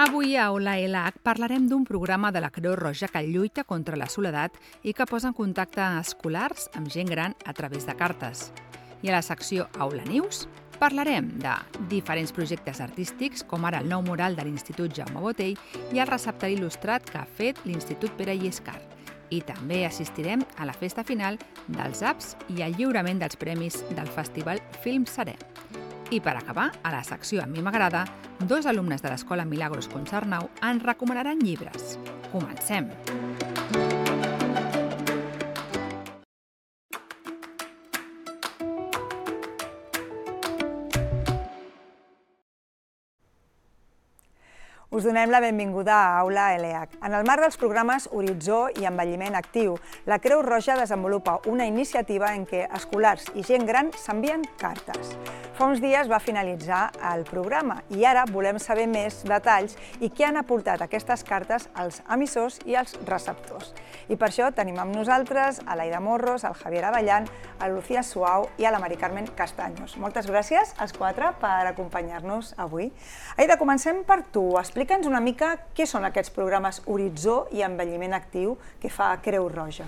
Avui a Aula ELAC parlarem d'un programa de la Creu Roja que lluita contra la soledat i que posa en contacte escolars amb gent gran a través de cartes. I a la secció Aula News parlarem de diferents projectes artístics, com ara el nou mural de l'Institut Jaume Botey i el receptari il·lustrat que ha fet l'Institut Pere Llescar. I també assistirem a la festa final dels apps i al lliurament dels premis del Festival Film Serè. I per acabar, a la secció A mi m'agrada, dos alumnes de l'Escola Milagros Contsarnau ens recomanaran llibres. Comencem! Us donem la benvinguda a Aula ELAC. En el marc dels programes Horitzó i Envelliment Actiu, la Creu Roja desenvolupa una iniciativa en què escolars i gent gran s'envien cartes. Fa uns dies va finalitzar el programa i ara volem saber més detalls i què han aportat aquestes cartes als emissors i als receptors. I per això tenim amb nosaltres a l'Aida Morros, al Javier Avellan, a Lucía Suau i a la Mari Carmen Castaños. Moltes gràcies als quatre per acompanyar-nos avui. Aida, comencem per tu. Explica'ns una mica què són aquests programes Horitzó i Envelliment Actiu que fa Creu Roja.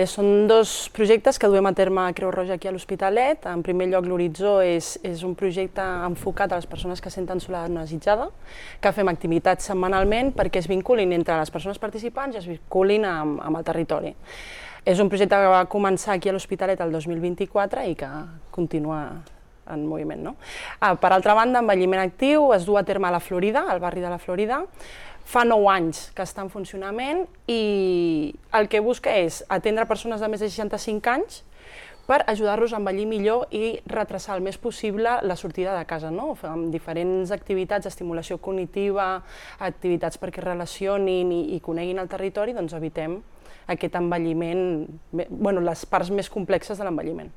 Són dos projectes que duem a terme a Creu Roja aquí a l'Hospitalet. En primer lloc, l'Horitzó és un projecte enfocat a les persones que senten soledat no desitjada, que fem activitats setmanalment perquè es vinculin entre les persones participants i es vinculin amb el territori. És un projecte que va començar aquí a l'Hospitalet el 2024 i que continua en moviment. Per altra banda, Envelliment Actiu es du a terme a la Florida, al barri de la Florida. Fa 9 anys que està en funcionament i el que busca és atendre persones de més de 65 anys per ajudar-los a envellir millor i retrasar el més possible la sortida de casa, amb diferents activitats d'estimulació cognitiva, activitats perquè relacionin i coneguin el territori, doncs evitem aquest envelliment, les parts més complexes de l'envelliment.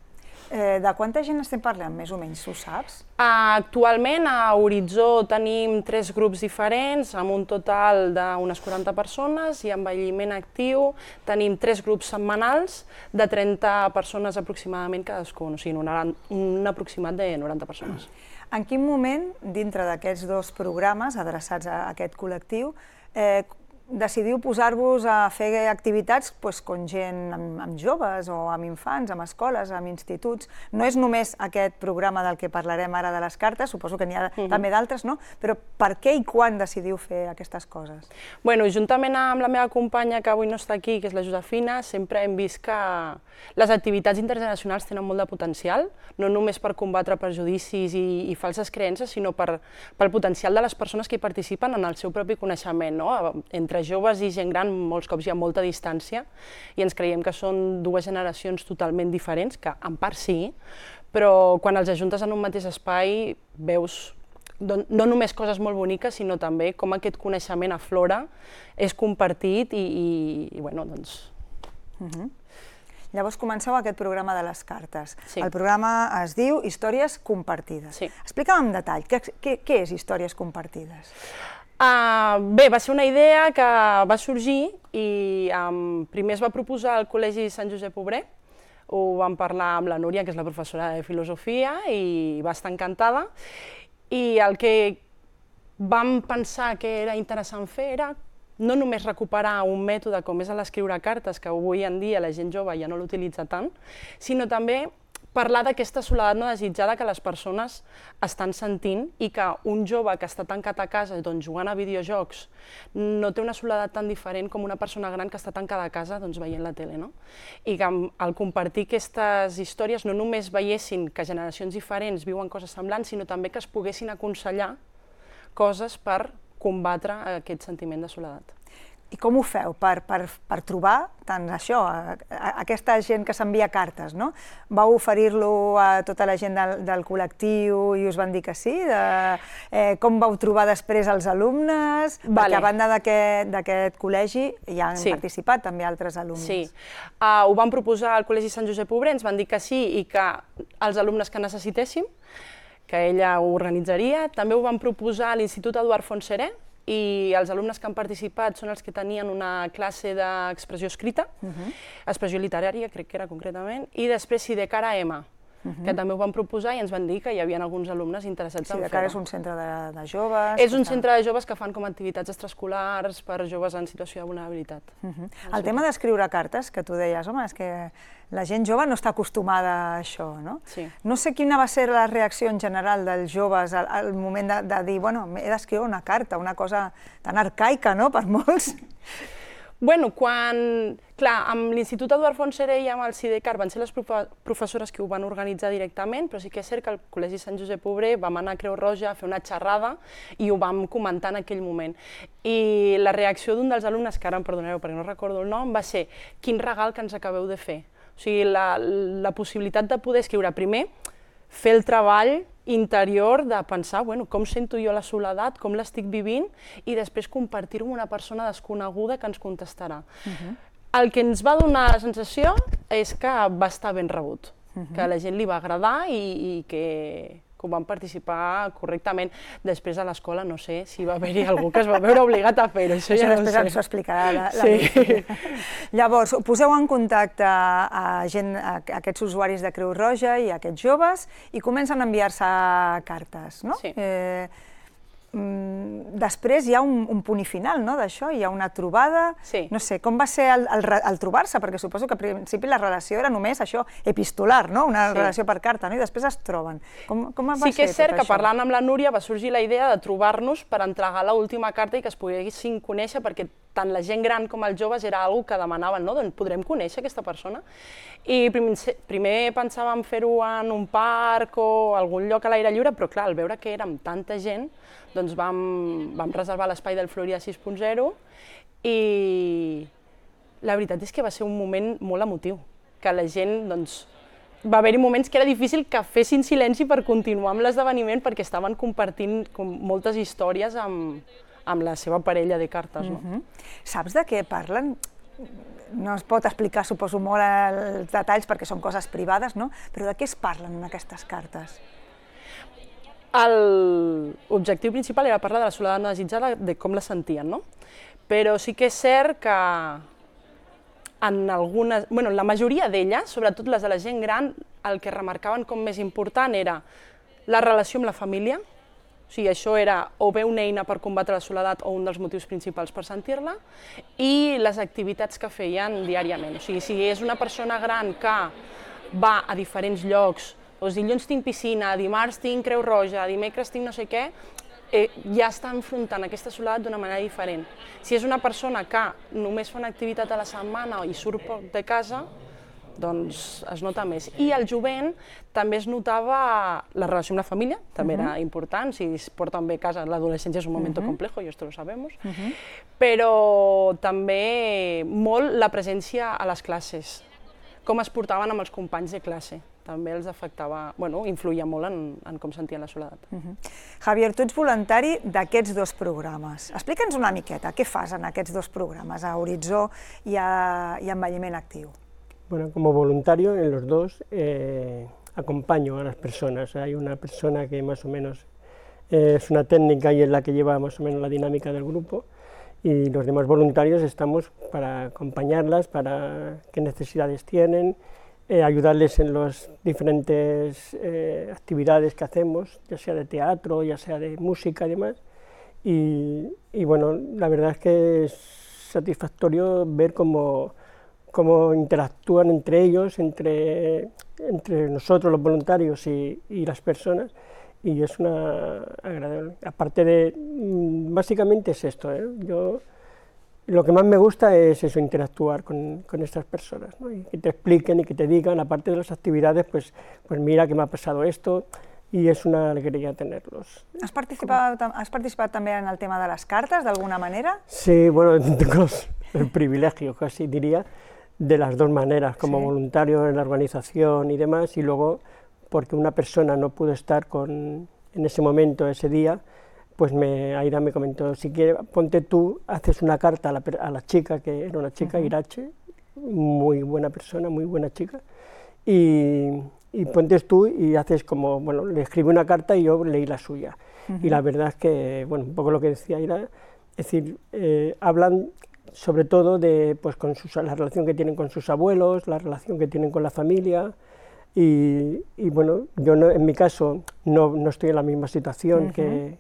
De quanta gent estem parlant, més o menys, ho saps? Actualment a Horitzó tenim 3 grups diferents, amb un total d'unes 40 persones, i a Envelliment Actiu tenim 3 grups setmanals de 30 persones aproximadament cadascun, o sigui, un aproximat de 90 persones. En quin moment, dintre d'aquests dos programes adreçats a aquest col·lectiu, decidiu posar-vos a fer activitats com gent amb joves o amb infants, amb escoles, amb instituts? No és només aquest programa del que parlarem ara de les cartes, suposo que n'hi ha també d'altres, no? Però per què i quan decidiu fer aquestes coses? Juntament amb la meva companya, que avui no està aquí, que és la Josefina, sempre hem vist que les activitats intergeneracionals tenen molt de potencial, no només per combatre prejudicis i falses creences, sinó pel potencial de les persones que hi participen en el seu propi coneixement. Entre joves i gent gran molts cops hi ha molta distància i ens creiem que són dues generacions totalment diferents, que en part sí, però quan els ajuntes en un mateix espai veus no només coses molt boniques, sinó també com aquest coneixement aflora, és compartit i doncs... Llavors comenceu aquest programa de les cartes. El programa es diu Històries compartides. Explica'm en detall, què és Històries compartides? Bé, va ser una idea que va sorgir i primer es va proposar al Col·legi Sant Josep Obrer, ho vam parlar amb la Núria, que és la professora de filosofia, i va estar encantada, i el que vam pensar que era interessant fer era no només recuperar un mètode com és l'escriure cartes, que avui en dia la gent jove ja no l'utilitza tant, sinó també parlar d'aquesta soledat no desitjada que les persones estan sentint i que un jove que està tancat a casa jugant a videojocs no té una soledat tan diferent com una persona gran que està tancada a casa veient la tele. I que al compartir aquestes històries no només veiessin que generacions diferents viuen coses semblants, sinó també que es poguessin aconsellar coses per combatre aquest sentiment de soledat. I com ho feu per trobar tant això, aquesta gent que s'envia cartes, no? Vau oferir-lo a tota la gent del col·lectiu i us van dir que sí? Com vau trobar després els alumnes? Perquè a banda d'aquest col·legi hi han participat també altres alumnes. Sí, ho vam proposar al Col·legi Sant Josep Obrer, ens van dir que sí i que els alumnes que necessitéssim, que ella ho organitzaria. També ho vam proposar a l'Institut Eduard Font Serè, i els alumnes que han participat són els que tenien una classe d'expressió escrita, expressió literària, crec que era concretament, i després, si de cara a EMA, que també ho van proposar i ens van dir que hi havia alguns alumnes interessats en fer-ho. Sí, que ara és un centre de joves... És un centre de joves que fan com activitats extraescolars per joves en situació de vulnerabilitat. El tema d'escriure cartes, que tu deies, home, és que la gent jove no està acostumada a això, no? Sí. No sé quina va ser la reacció en general dels joves al moment de dir, bueno, he d'escriure una carta, una cosa tan arcaica, no?, per molts. Bueno, clar, amb l'Institut Eduard Fontserè i amb el Sidecar van ser les professores que ho van organitzar directament, però sí que és cert que al Col·legi Sant Josep Obrer vam anar a Creu Roja a fer una xerrada i ho vam comentar en aquell moment. I la reacció d'un dels alumnes, que ara em perdonareu perquè no recordo el nom, va ser: quin regal que ens acabeu de fer. O sigui, la possibilitat de poder escriure primer, fer el treball interior de pensar, bueno, com sento jo la soledat, com l'estic vivint, i després compartir-ho amb una persona desconeguda que ens contestarà. El que ens va donar la sensació és que va estar ben rebut, que a la gent li va agradar i que ho van participar correctament. Després a l'escola no sé si va haver-hi algú que es va veure obligat a fer-ho, això ja no ho sé. Després ens ho explicarà la Llavors, poseu en contacte a aquests usuaris de Creu Roja i a aquests joves i comencen a enviar-se cartes, no? Sí. Després hi ha un punt i final, no?, d'això, hi ha una trobada, no sé, com va ser el trobar-se, perquè suposo que al principi la relació era només això, epistolar, no?, una relació per carta, no?, i després es troben. Com va ser tot això? Sí que és cert que parlant amb la Núria va sorgir la idea de trobar-nos per entregar l'última carta i que es poguessin conèixer, perquè tant la gent gran com els joves era una cosa que demanaven, no?, doncs podrem conèixer aquesta persona. I primer pensàvem fer-ho en un parc o algun lloc a l'aire lliure, però clar, al veure que érem tanta gent, doncs vam reservar l'espai del Florida 6.0 i la veritat és que va ser un moment molt emotiu, que la gent, doncs, va haver-hi moments que era difícil que fessin silenci per continuar amb l'esdeveniment perquè estaven compartint moltes històries amb la seva parella de cartes. Saps de què parlen? No es pot explicar, suposo, molt els detalls perquè són coses privades, no? Però de què es parlen en aquestes cartes? L'objectiu principal era parlar de la soledat no desitjada, de com la sentien, no? Però sí que és cert que en la majoria d'elles, sobretot les de la gent gran, el que remarcaven com més important era la relació amb la família, o sigui, això era o bé una eina per combatre la soledat o un dels motius principals per sentir-la, i les activitats que feien diàriament. O sigui, si és una persona gran que va a diferents llocs, doncs dilluns tinc piscina, dimarts tinc Creu Roja, dimecres tinc no sé què, ja està enfrontant aquesta soledat d'una manera diferent. Si és una persona que només fa una activitat a la setmana i surt poc de casa, doncs es nota més. I al jovent també es notava la relació amb la família, també era important, si es porten bé a casa, l'adolescència és un moment complejo, i esto lo sabemos, però també molt la presència a les classes, com es portaven amb els companys de classe. També els afectava, influïa molt en com sentien la soledat. Javier, tu ets voluntari d'aquests dos programes. Explica'ns una miqueta, què fas en aquests dos programes, a Horitzó i a Envelliment Actiu? Bueno, como voluntario en los dos acompaño a las personas. Hay una persona que más o menos es una técnica y es la que lleva más o menos la dinámica del grupo, y los demás voluntarios estamos para acompañarlas, para qué necesidades tienen, ayudarles en las diferentes actividades que hacemos, ya sea de teatro, ya sea de música y demás. Y bueno, la verdad es que es satisfactorio ver cómo interactúan entre ellos, entre nosotros los voluntarios y las personas, y es una agradable. Aparte de, básicamente es esto, lo que más me gusta es eso, interactuar con estas personas, ¿no? Y que te expliquen y que te digan, aparte de las actividades, pues mira que me ha pasado esto, y es una alegría tenerlos. Has participat també en el tema de les cartes, d'alguna manera? Sí, bueno, tengo el privilegio, casi diría, de las dos maneras, como voluntario en la organización y demás, y luego porque una persona no pudo estar en ese momento, ese día, pues Aira me comentó, si quieres, ponte tú, haces una carta a la chica, que era una chica, Irache, muy buena persona, muy buena chica, y pontes tú y haces como, bueno, le escribí una carta y yo leí la suya. Y la verdad es que, bueno, un poco lo que decía Aira, es decir, hablan sobre todo de pues, la relación que tienen con sus abuelos, la relación que tienen con la familia, Y bueno, yo en mi caso no estoy en la misma situación que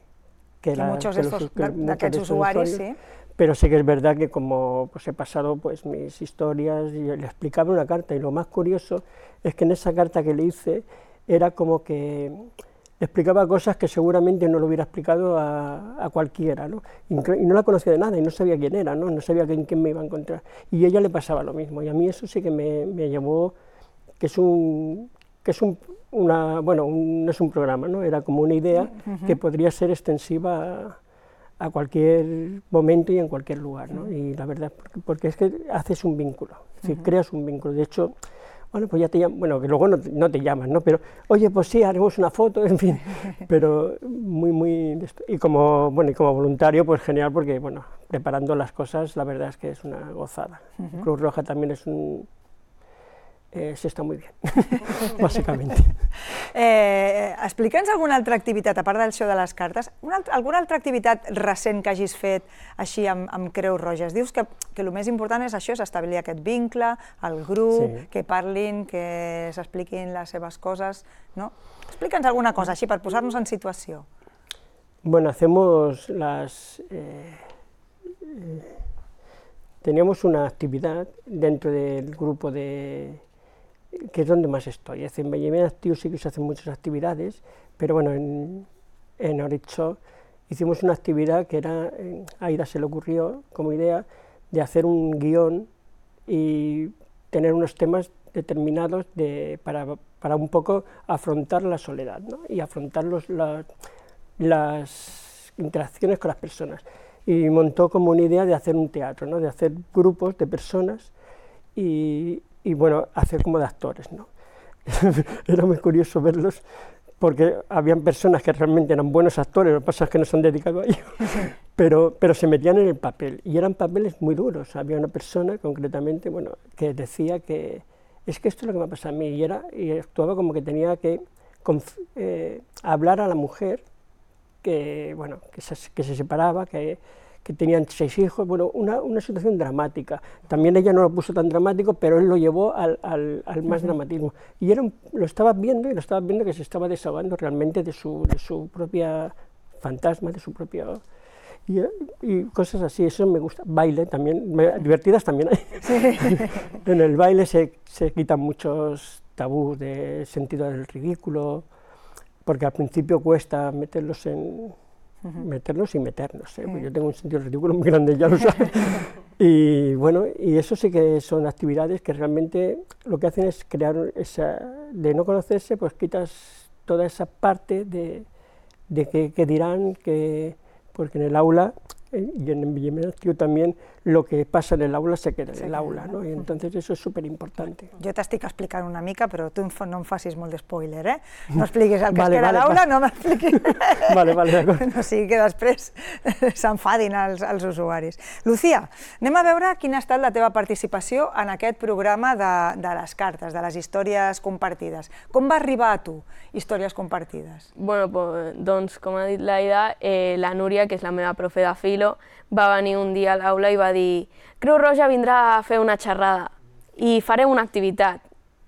muchos de aquests usuaris, sí. Pero sí que es verdad que como pues, he pasado pues, mis historias y le explicaba una carta, y lo más curioso es que en esa carta que le hice era como que le explicaba cosas que seguramente no lo hubiera explicado a cualquiera, ¿no? Y no la conocía de nada y no sabía quién era, no sabía en quién me iba a encontrar, y a ella le pasaba lo mismo, y a mí eso sí que me llevó, bueno, no es un programa, ¿no? Era como una idea que podría ser extensiva a cualquier momento y en cualquier lugar, ¿no? Y la verdad, porque es que haces un vínculo, es decir, creas un vínculo. De hecho, bueno, pues ya te llaman, bueno, que luego no te llaman, ¿no? Pero, oye, pues sí, haremos una foto, en fin, pero y como voluntario, pues genial, porque, bueno, preparando las cosas, la verdad es que es una gozada. Cruz Roja también se està molt bé, bàsicament. Explica'ns alguna altra activitat, a part del show de les cartes, alguna altra activitat recent que hagis fet així amb Creu Roja? Dius que el més important és això, és establir aquest vincle, el grup, que parlin, que s'expliquin les seves coses, no? Explica'ns alguna cosa així per posar-nos en situació. Bueno, teníamos una actividad dentro del grupo que es donde más estoy. En Benjamín Actiu sí que se hacen muchas actividades, pero bueno, en Oritxo hicimos una actividad que era, a Aida se le ocurrió como idea de hacer un guión y tener unos temas determinados para un poco afrontar la soledad, ¿no? Y afrontar las interacciones con las personas. Y montó como una idea de hacer un teatro, ¿no? De hacer grupos de personas y bueno, hacer como de actores, ¿no? Era muy curioso verlos, porque habían personas que realmente eran buenos actores, lo que pasa es que no se han dedicado a ello, pero se metían en el papel, y eran papeles muy duros. Había una persona, concretamente, bueno, que decía que es que esto es lo que me ha pasado a mí, y actuaba como que tenía que hablar a la mujer que, bueno, que se separaba, que tenían 6 hijos, bueno, una situación dramática. También ella no lo puso tan dramático, pero él lo llevó al más dramatismo. Y lo estabas viendo que se estaba desahogando realmente de su propia fantasma, de su propio... Y cosas así, eso me gusta. Baile también, divertidas también hay. Sí. En el baile se quitan muchos tabús de sentido del ridículo, porque al principio cuesta meterlos y meternos, ¿eh? Pues yo tengo un sentido ridículo muy grande, ya lo sabes. Y bueno, y eso sí que son actividades que realmente lo que hacen es crear de no conocerse, pues quitas toda esa parte de que dirán, porque en el aula, y en Benjamín Actiu también, lo que pasa en el aula se queda en el aula, ¿no? Y entonces eso es súper importante. Jo t'estic explicant una mica, però tu no em facis molt d'espoiler, eh? No expliquis el que es queda a l'aula, no m'expliquis. Vale, d'acord. No sigui que després s'enfadin els usuaris. Lucía, anem a veure quina ha estat la teva participació en aquest programa de les cartes, de les històries compartides. Com va arribar a tu, històries compartides? Bueno, doncs, com ha dit l'Aida, la Núria, que és la meva profe de filo, va venir un dia a l'aula i va dir Creu Roja vindrà a fer una xerrada i farem una activitat.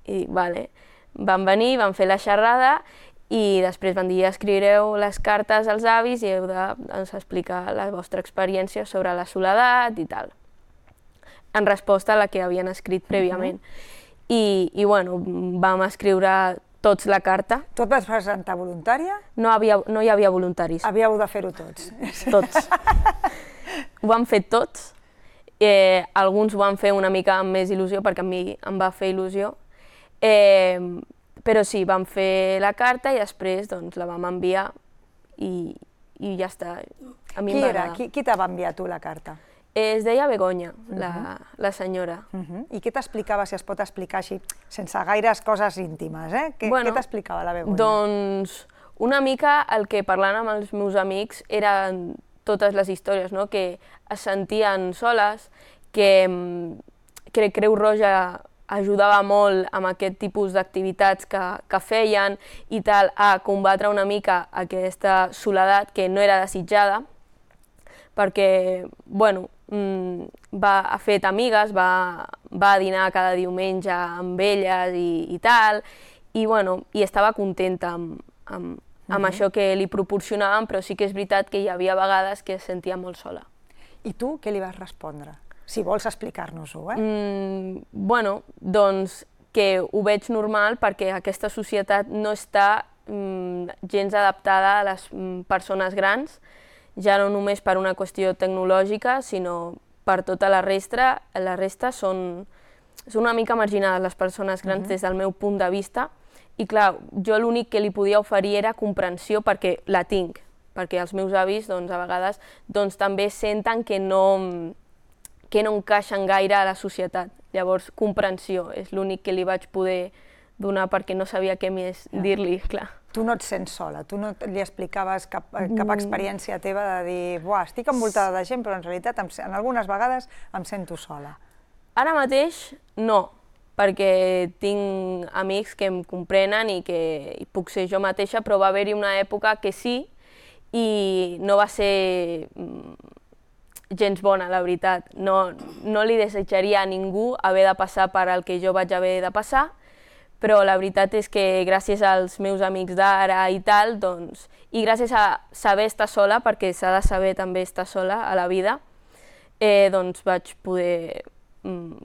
I vale, van venir, van fer la xerrada i després van dir escriureu les cartes als avis i heu d'explicar la vostra experiència sobre la soledat i tal, en resposta a la que havien escrit prèviament. I bueno, vam escriure tots la carta. Tu et vas presentar voluntària? No hi havia voluntaris. Havíeu de fer-ho tots. Tots. Ho vam fer tots. Alguns ho van fer una mica amb més il·lusió, perquè a mi em va fer il·lusió. Però sí, vam fer la carta i després la vam enviar i ja està. Qui era? Qui te va enviar tu la carta? Es deia Begoña, la senyora. I què t'explicava, si es pot explicar així, sense gaires coses íntimes, eh? Què t'explicava la Begoña? Doncs una mica el que parlant amb els meus amics eren totes les històries, que es sentien soles, que Creu Roja ajudava molt amb aquest tipus d'activitats que feien i tal, a combatre una mica aquesta soledat que no era desitjada, perquè, bueno, ha fet amigues, va a dinar cada diumenge amb elles i tal, i estava contenta amb això que li proporcionàvem, però sí que és veritat que hi havia vegades que es sentia molt sola. I tu què li vas respondre? Si vols explicar-nos-ho, Bueno, doncs que ho veig normal perquè aquesta societat no està gens adaptada a les persones grans, ja no només per una qüestió tecnològica, sinó per tota la resta són una mica marginades les persones grans des del meu punt de vista, i clar, jo l'únic que li podia oferir era comprensió perquè la tinc, perquè els meus avis a vegades també senten que no encaixen gaire a la societat. Llavors, comprensió és l'únic que li vaig poder donar perquè no sabia què més dir-li, clar. Tu no et sents sola, tu no li explicaves cap experiència teva de dir buah, estic envoltada de gent, però en realitat en algunes vegades em sento sola. Ara mateix no, perquè tinc amics que em comprenen i que puc ser jo mateixa, però va haver-hi una època que sí, i no va ser gens bona, la veritat. No li desitjaria a ningú haver de passar per el que jo vaig haver de passar, però la veritat és que gràcies als meus amics d'ara i tal, i gràcies a saber estar sola, perquè s'ha de saber també estar sola a la vida, vaig poder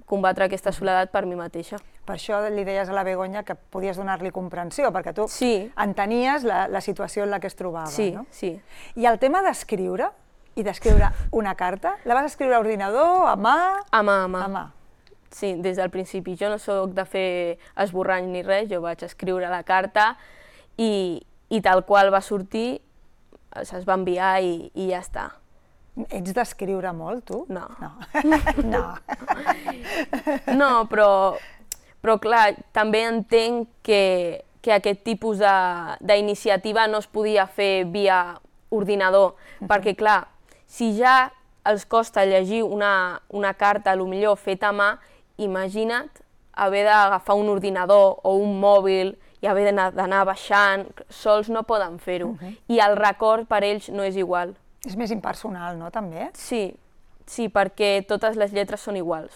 combatre aquesta soledat per mi mateixa. Per això li deies a la Begoña que podies donar-li comprensió, perquè tu entenies la situació en la que es trobava. Sí, no? sí. I el tema d'escriure, i d'escriure una carta, la vas escriure a ordinador, a mà? A mà, a mà. A mà. Sí, des del principi. Jo no soc de fer esborrany ni res, jo vaig escriure la carta i tal qual va sortir, es va enviar i ja està. Ets d'escriure molt, tu? No. No. No, però clar, també entenc que aquest tipus d'iniciativa no es podia fer via ordinador, perquè clar, si ja els costa llegir una carta, potser feta a mà, imagina't haver d'agafar un ordinador o un mòbil i haver d'anar baixant, sols no poden fer-ho, i el record per ells no és igual. És més impersonal, no, també? Sí, perquè totes les lletres són iguals,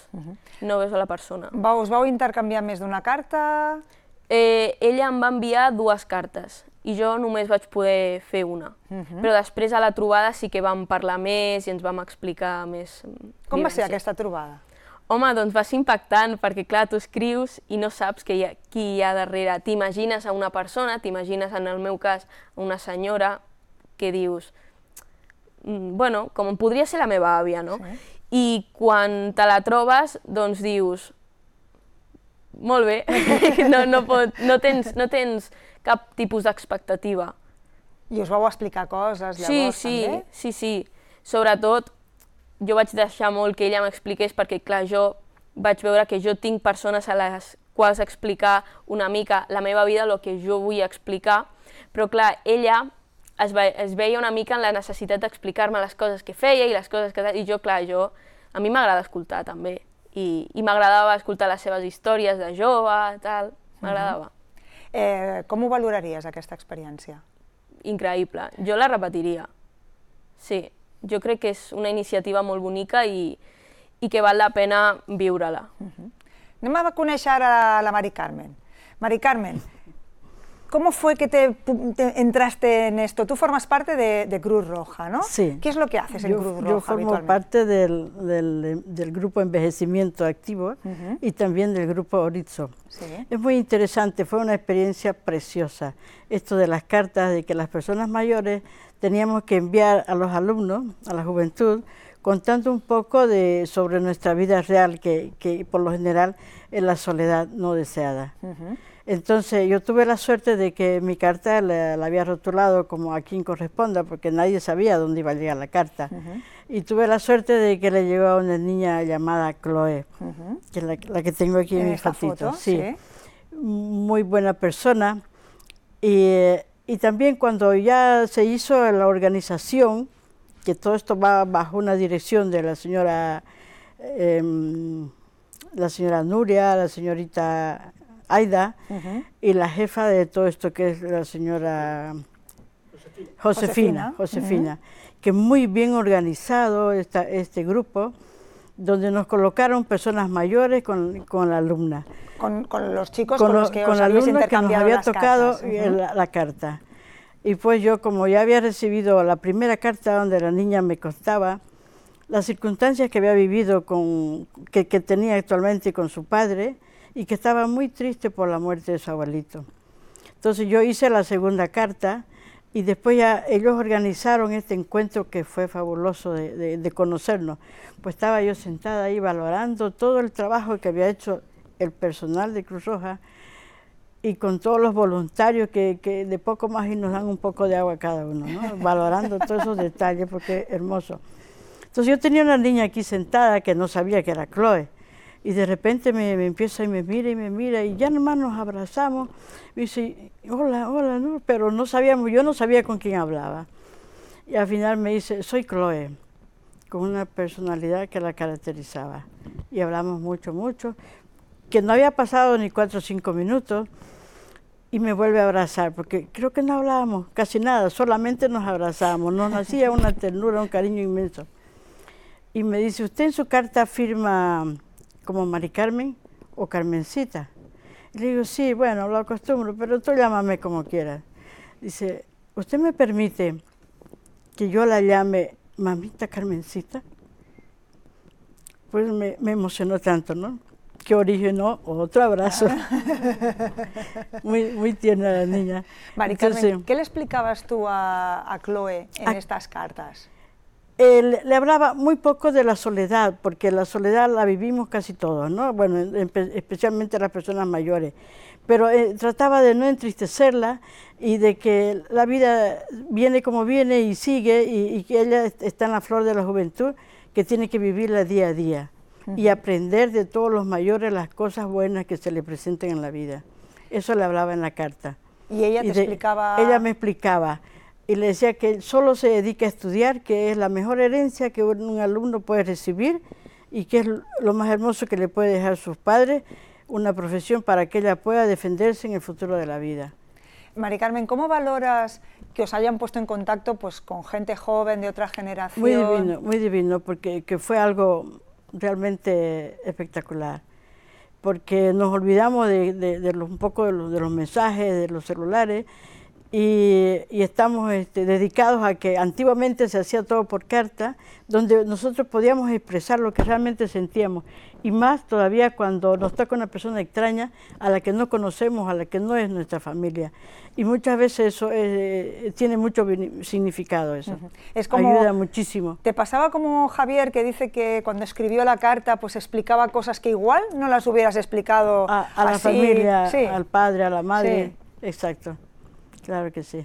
no veus a la persona. Us vau intercanviar més d'una carta? Ella em va enviar 2 cartes i jo només vaig poder fer una, però després a la trobada sí que vam parlar més i ens vam explicar més. Com va ser aquesta trobada? Home, doncs va ser impactant, perquè clar, tu escrius i no saps qui hi ha darrere. T'imagines a una persona, t'imagines en el meu cas a una senyora que dius, bueno, com podria ser la meva àvia, no? I quan te la trobes, doncs dius, molt bé, no tens cap tipus d'expectativa. I us vau explicar coses llavors també? Sí. Sobretot, jo vaig deixar molt que ella m'expliqués perquè, clar, jo vaig veure que jo tinc persones a les quals explicar una mica la meva vida, el que jo vull explicar, però, clar, ella es veia una mica en la necessitat d'explicar-me les coses que feia i les coses que... I jo, clar, a mi m'agrada escoltar també, i m'agradava escoltar les seves històries de jove, tal, m'agradava. Com ho valoraries, aquesta experiència? Increïble, jo la repetiria, sí. Jo crec que és una iniciativa molt bonica i que val la pena viure-la. Anem a conèixer ara la Mari Carmen. Mari Carmen, ¿cómo fue que entraste en esto? Tú formas parte de Cruz Roja, ¿no? Sí. ¿Qué es lo que haces en Cruz Roja Yo formo parte del grupo Envejecimiento Activo y también del grupo Orizo. Sí. Es muy interesante, fue una experiencia preciosa. Esto de las cartas, de que las personas mayores teníamos que enviar a los alumnos, a la juventud, contando un poco sobre nuestra vida real, que por lo general es la soledad no deseada. Entonces yo tuve la suerte de que mi carta la había rotulado como a quien corresponda, porque nadie sabía dónde iba a llegar la carta. Y tuve la suerte de que le llegó a una niña llamada Chloe, que es la que tengo aquí en mi fotito. Sí. Muy buena persona. Y también cuando ya se hizo la organización, que todo esto va bajo una dirección de la señora Nuria, la señorita Aida, y la jefa de todo esto, que es la señora Josefina, que muy bien organizado este grupo, donde nos colocaron personas mayores con la alumna. Con los chicos con los que os la habéis alumna intercambiado que nos las había tocado cartas. la carta. Y pues yo, como ya había recibido la primera carta donde la niña me contaba las circunstancias que había vivido, que tenía actualmente con su padre, y que estaba muy triste por la muerte de su abuelito. Entonces yo hice la segunda carta, y después ya ellos organizaron este encuentro que fue fabuloso de conocernos. Pues estaba yo sentada ahí valorando todo el trabajo que había hecho el personal de Cruz Roja, y con todos los voluntarios que de poco más y nos dan un poco de agua a cada uno, ¿no? Valorando todos esos detalles, porque es hermoso. Entonces yo tenía una niña aquí sentada que no sabía que era Chloe, y de repente me empieza y me mira, y ya nomás nos abrazamos, y dice, hola, hola, ¿no? Pero no sabíamos, yo no sabía con quién hablaba. Y al final me dice, soy Chloe, con una personalidad que la caracterizaba. Y hablamos mucho, que no había pasado ni 4 o 5 minutos, y me vuelve a abrazar, porque creo que no hablábamos casi nada, solamente nos abrazábamos, nos hacía una ternura, un cariño inmenso. Y me dice, ¿usted en su carta firma como Mari Carmen o Carmencita? Y le digo, sí, bueno, lo acostumbro, pero tú llámame como quieras. Dice, ¿usted me permite que yo la llame mamita Carmencita? Pues me emocionó tanto, ¿no? Que originó otro abrazo. muy tierna la niña. Mari Carmen, ¿qué le explicabas tú a Chloe en estas cartas? Le hablaba muy poco de la soledad, porque la soledad la vivimos casi todos, ¿no? Bueno, especialmente las personas mayores. Pero trataba de no entristecerla y de que la vida viene como viene y sigue, y que ella está en la flor de la juventud, que tiene que vivirla día a día. Y aprender de todos los mayores las cosas buenas que se le presenten en la vida. Eso le hablaba en la carta. ¿Y ella te explicaba? Ella me explicaba, y le decía que solo se dedica a estudiar, que es la mejor herencia que un alumno puede recibir, y que es lo más hermoso que le puede dejar sus padres, una profesión para que ella pueda defenderse en el futuro de la vida. Mari Carmen, ¿cómo valoras que os hayan puesto en contacto pues, con gente joven de otra generación? Muy divino, porque fue algo realmente espectacular, porque nos olvidamos un poco de los mensajes, de los celulares, y estamos dedicados a que antiguamente se hacía todo por carta, donde nosotros podíamos expresar lo que realmente sentíamos, y más todavía cuando nos toca una persona extraña a la que no conocemos, a la que no es nuestra familia. Y muchas veces eso tiene mucho significado, eso. Es como, ayuda muchísimo. ¿Te pasaba como Javier, que dice que cuando escribió la carta pues explicaba cosas que igual no las hubieras explicado a la familia, sí, al padre, a la madre? Sí. Exacto, claro que sí.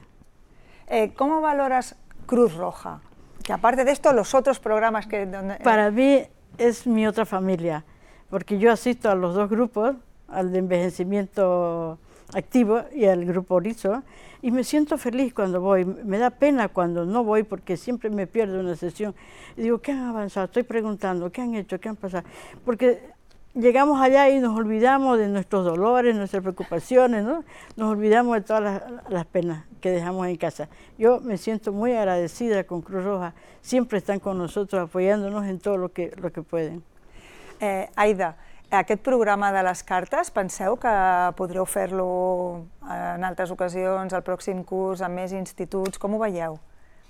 ¿Cómo valoras Cruz Roja? Que aparte de esto, los otros programas que... Para mí es mi otra familia, porque yo asisto a los dos grupos, al de envejecimiento activo y al grupo Orizo, y me siento feliz cuando voy. Me da pena cuando no voy, porque siempre me pierdo una sesión. Y digo, ¿qué han avanzado? Estoy preguntando, ¿qué han hecho? ¿Qué han pasado? Porque llegamos allá y nos olvidamos de nuestros dolores, nuestras preocupaciones, ¿no? Nos olvidamos de todas las penas que dejamos en casa. Yo me siento muy agradecida con Cruz Roja. Siempre están con nosotros apoyándonos en todo lo que pueden. Aida, aquest programa de les cartes, penseu que podreu fer-lo en altres ocasions, al pròxim curs, amb més instituts? Com ho veieu?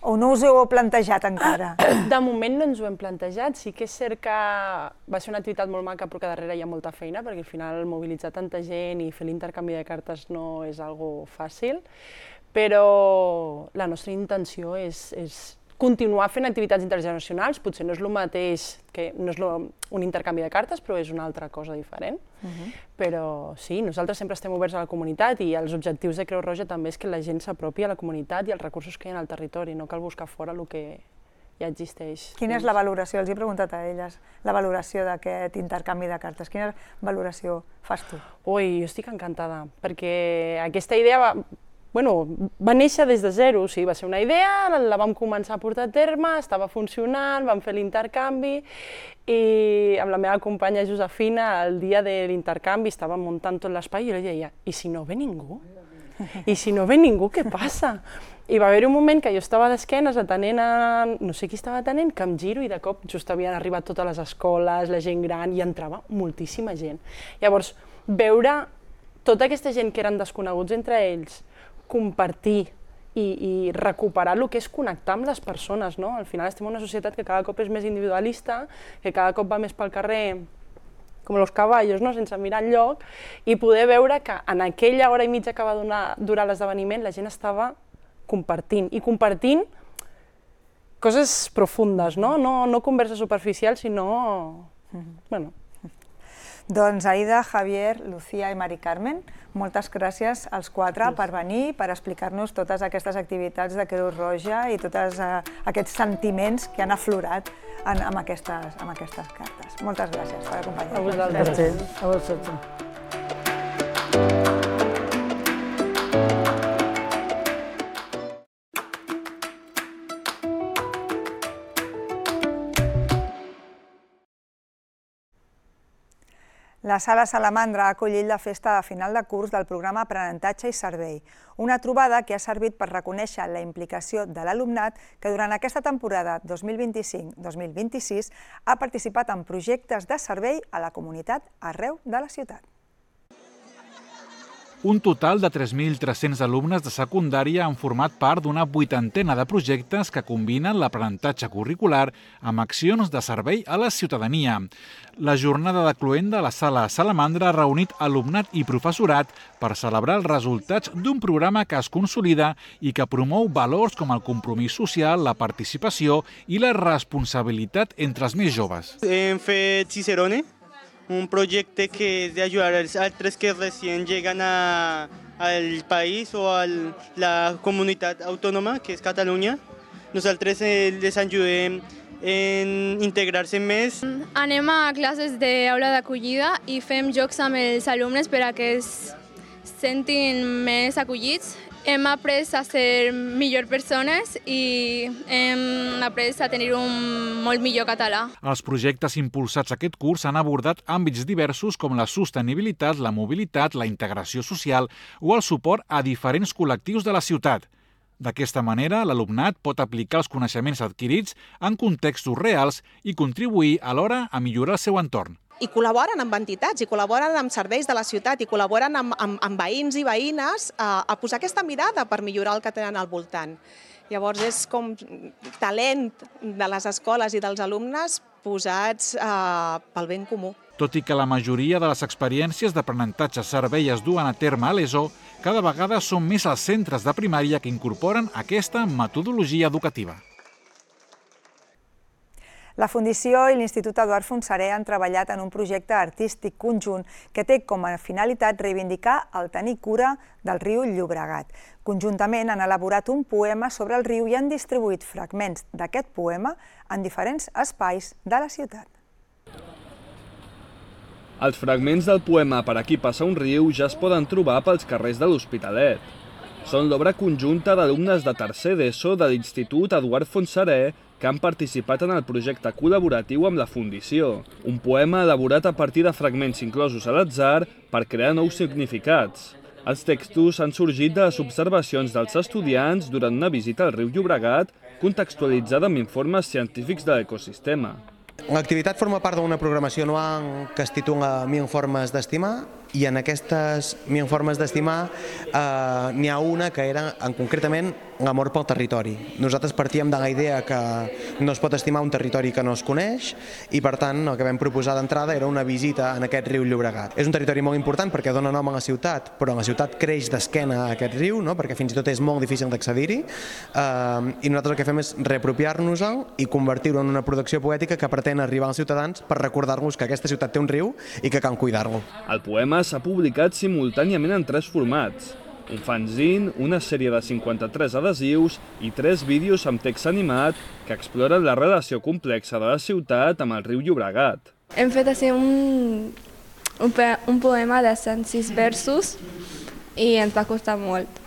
O no us ho heu plantejat encara? De moment no ens ho hem plantejat. Sí que és cert que va ser una activitat molt maca, però que darrere hi ha molta feina, perquè al final mobilitzar tanta gent i fer l'intercanvi de cartes no és algo fàcil, però la nostra intenció és continuar fent activitats intergeneracionals. Potser no és el mateix, no és un intercanvi de cartes, però és una altra cosa diferent. Però sí, nosaltres sempre estem oberts a la comunitat, i els objectius de Creu Roja també és que la gent s'apropi a la comunitat i als recursos que hi ha al territori, no cal buscar fora el que ja existeix. Quina és la valoració? Els he preguntat a elles la valoració d'aquest intercanvi de cartes. Quina valoració fas tu? Ui, jo estic encantada, perquè aquesta idea va néixer des de zero. O sigui, va ser una idea, la vam començar a portar a terme, estava funcionant, vam fer l'intercanvi, i amb la meva companya Josefina, el dia de l'intercanvi, estàvem muntant tot l'espai, i jo li deia, i si no ve ningú? I si no ve ningú, què passa? I va haver un moment que jo estava d'esquenes atenent a... no sé qui estava atenent, que em giro i de cop just havien arribat totes les escoles, la gent gran, i entrava moltíssima gent. Llavors, veure tota aquesta gent que eren desconeguts entre ells, compartir i recuperar el que és connectar amb les persones, no? Al final estem en una societat que cada cop és més individualista, que cada cop va més pel carrer com los caballos, no? Sense mirar enlloc, i poder veure que en aquella hora i mitja que va durar l'esdeveniment la gent estava compartint coses profundes, no? No converses superficials, sinó... bueno. Doncs Aida, Javier, Lucía i Mari Carmen, moltes gràcies als quatre per venir, per explicar-nos totes aquestes activitats de Creu Roja i tots aquests sentiments que han aflorat amb aquestes cartes. Moltes gràcies per acompanyar-nos. A vosaltres. A vosaltres. La Sala Salamandra ha acollit la festa de final de curs del programa Aprenentatge i Servei, una trobada que ha servit per reconèixer la implicació de l'alumnat que durant aquesta temporada 2025-2026 ha participat en projectes de servei a la comunitat arreu de la ciutat. Un total de 3.300 alumnes de secundària han format part d'una 80ena de projectes que combinen l'aprenentatge curricular amb accions de servei a la ciutadania. La jornada de cloenda a la Sala Salamandra ha reunit alumnat i professorat per celebrar els resultats d'un programa que es consolida i que promou valors com el compromís social, la participació i la responsabilitat entre els més joves. Hem fet Cicerone, un proyecto que es de ayudar a altres que recién llegan al país o a la comunidad autónoma, que es Cataluña. Nosaltres les ayudem en integrar-se més. Anem a classes d'aula d'acollida i fem jocs amb els alumnes per a que es sentin més acollits. Hem après a ser millors persones i hem après a tenir un molt millor català. Els projectes impulsats aquest curs han abordat àmbits diversos com la sostenibilitat, la mobilitat, la integració social o el suport a diferents col·lectius de la ciutat. D'aquesta manera, l'alumnat pot aplicar els coneixements adquirits en contextos reals i contribuir alhora a millorar el seu entorn. I col·laboren amb entitats, i col·laboren amb serveis de la ciutat, i col·laboren amb veïns i veïnes a posar aquesta mirada per millorar el que tenen al voltant. Llavors és com talent de les escoles i dels alumnes posats pel ben comú. Tot i que la majoria de les experiències d'aprenentatge servei es duen a terme a l'ESO, cada vegada són més els centres de primària que incorporen aquesta metodologia educativa. La Fundació i l'Institut Eduard Fontserè han treballat en un projecte artístic conjunt que té com a finalitat reivindicar el tenir cura del riu Llobregat. Conjuntament han elaborat un poema sobre el riu i han distribuït fragments d'aquest poema en diferents espais de la ciutat. Els fragments del poema Per aquí passa un riu ja es poden trobar pels carrers de l'Hospitalet. Són l'obra conjunta d'alumnes de tercer d'ESO de l'Institut Eduard Fontserè que han participat en el projecte col·laboratiu amb la Fundació, un poema elaborat a partir de fragments inclosos a l'atzar per crear nous significats. Els textos han sorgit de les observacions dels estudiants durant una visita al riu Llobregat, contextualitzada amb informes científics de l'ecosistema. L'activitat forma part d'una programació anual que es titula Mil formes d'estimar, i en aquestes mil formes d'estimar n'hi ha una que era concretament l'amor pel territori. Nosaltres partíem de la idea que no es pot estimar un territori que no es coneix i per tant el que vam proposar d'entrada era una visita en aquest riu Llobregat. És un territori molt important perquè dona nom a la ciutat, però la ciutat creix d'esquena a aquest riu, perquè fins i tot és molt difícil d'accedir-hi, i nosaltres el que fem és reapropiar-nos-el i convertir-ho en una producció poètica que pretén arribar als ciutadans per recordar-nos que aquesta ciutat té un riu i que cal cuidar-lo. El poema s'ha publicat simultàniament en 3 formats: un fanzine, una sèrie de 53 adhesius i 3 vídeos amb text animat que exploren la relació complexa de la ciutat amb el riu Llobregat. Hem fet així un poema de 106 versos i ens va costar molt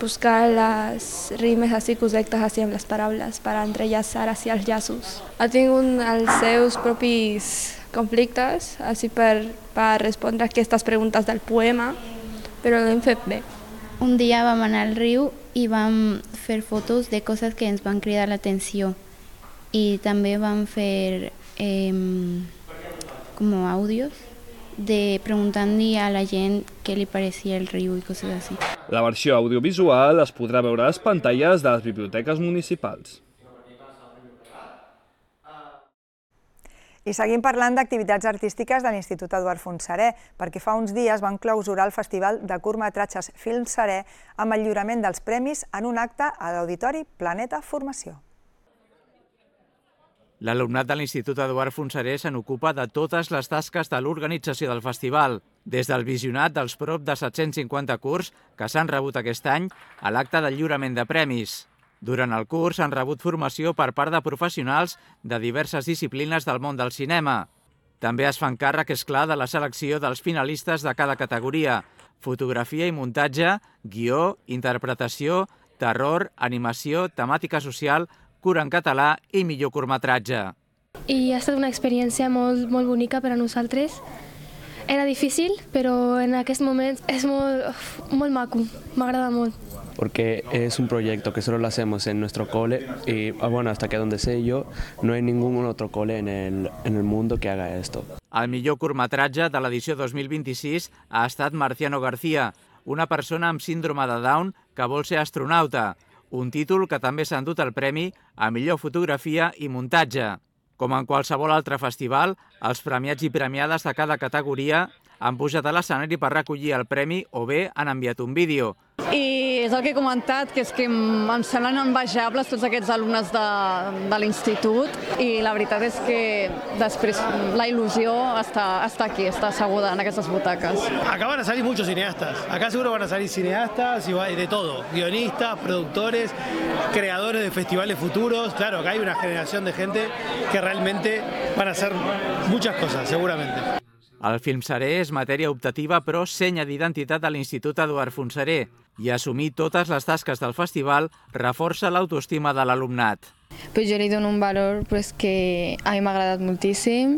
buscar les rimes així correctes així amb les paraules per entrellaçar així els llaços. Ha tingut els seus propis conflictes així per respondre a aquestes preguntes del poema, però l'hem fet bé. Un dia vam anar al riu i vam fer fotos de coses que ens van cridar l'atenció i també vam fer com àudios preguntant-li a la gent què li parecia el riu i coses així. La versió audiovisual es podrà veure a les pantalles de les biblioteques municipals. I seguim parlant d'activitats artístiques de l'Institut Eduard Fontserè, perquè fa uns dies van clausurar el Festival de Curtmetratges Film Serè amb el lliurament dels premis en un acte a l'Auditori Planeta Formació. L'alumnat de l'Institut Eduard Fontserè se n'ocupa de totes les tasques de l'organització del festival, des del visionat dels prop de 750 curts que s'han rebut aquest any a l'acte del lliurament de premis. Durant el curs han rebut formació per part de professionals de diverses disciplines del món del cinema. També es fan càrrec, és clar, de la selecció dels finalistes de cada categoria: fotografia i muntatge, guió, interpretació, terror, animació, temàtica social, curt en català i millor curtmetratge. I ha estat una experiència molt bonica per a nosaltres. Era difícil, però en aquest moment és molt maco, m'agrada molt. Porque es un proyecto que solo lo hacemos en nuestro cole y, bueno, hasta que donde sé yo, no hay ningún otro cole en el mundo que haga esto. El millor curtmetratge de l'edició 2026 ha estat Marciano García, una persona amb síndrome de Down que vol ser astronauta, un títol que també s'ha endut el premi a millor fotografia i muntatge. Com en qualsevol altre festival, els premiats i premiades de cada categoria han pujat a l'escenari per recollir el premi o bé han enviat un vídeo. I és el que he comentat, que és que em semblen envejables tots aquests alumnes de l'institut i la veritat és que després la il·lusió està aquí, està asseguda en aquestes butaques. Acá van a salir muchos cineastas, acá seguro van a salir cineastas y de todo, guionistas, productores, creadores de festivales futuros. Claro, acá hay una generación de gente que realmente van a hacer muchas cosas, seguramente. El Film Serè és matèria optativa però senya d'identitat de l'Institut Eduard Fontserè i assumir totes les tasques del festival reforça l'autoestima de l'alumnat. Pues jo li dono un valor que a mi m'ha agradat moltíssim,